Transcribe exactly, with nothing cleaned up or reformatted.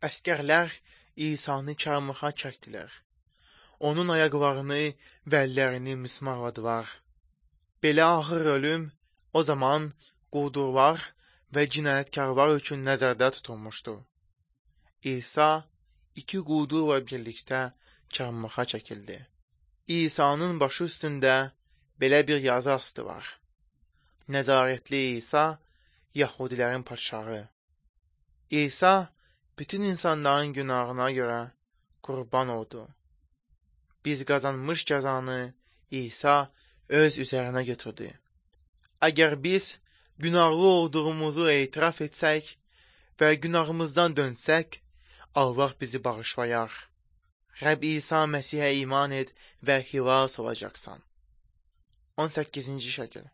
Əskərlər İsa'nı çarmıxa çəkdilər. Onun ayaqlarını və əllərini mismarladılar. Belə ağır ölüm o zaman quldurlar və cinayətkarlar üçün nəzərdə tutulmuşdu. İsa iki quldurla birlikdə çarmıxa çəkildi. İsa'nın başı üstündə belə bir yazı asdı var. Nəzarətli İsa, Yahudilərin padşahı. İsa bütün insanların günahına görə qurban oldu. Biz qazanmış cəzanı İsa öz üzərinə götürdü. Əgər biz günahlı olduğumuzu etiraf etsək və günahımızdan dönsək, Allah bizi bağışlayar. Rəbb İsa Məsihə iman et və xilas olacaqsan. on səkkizinci şəkil.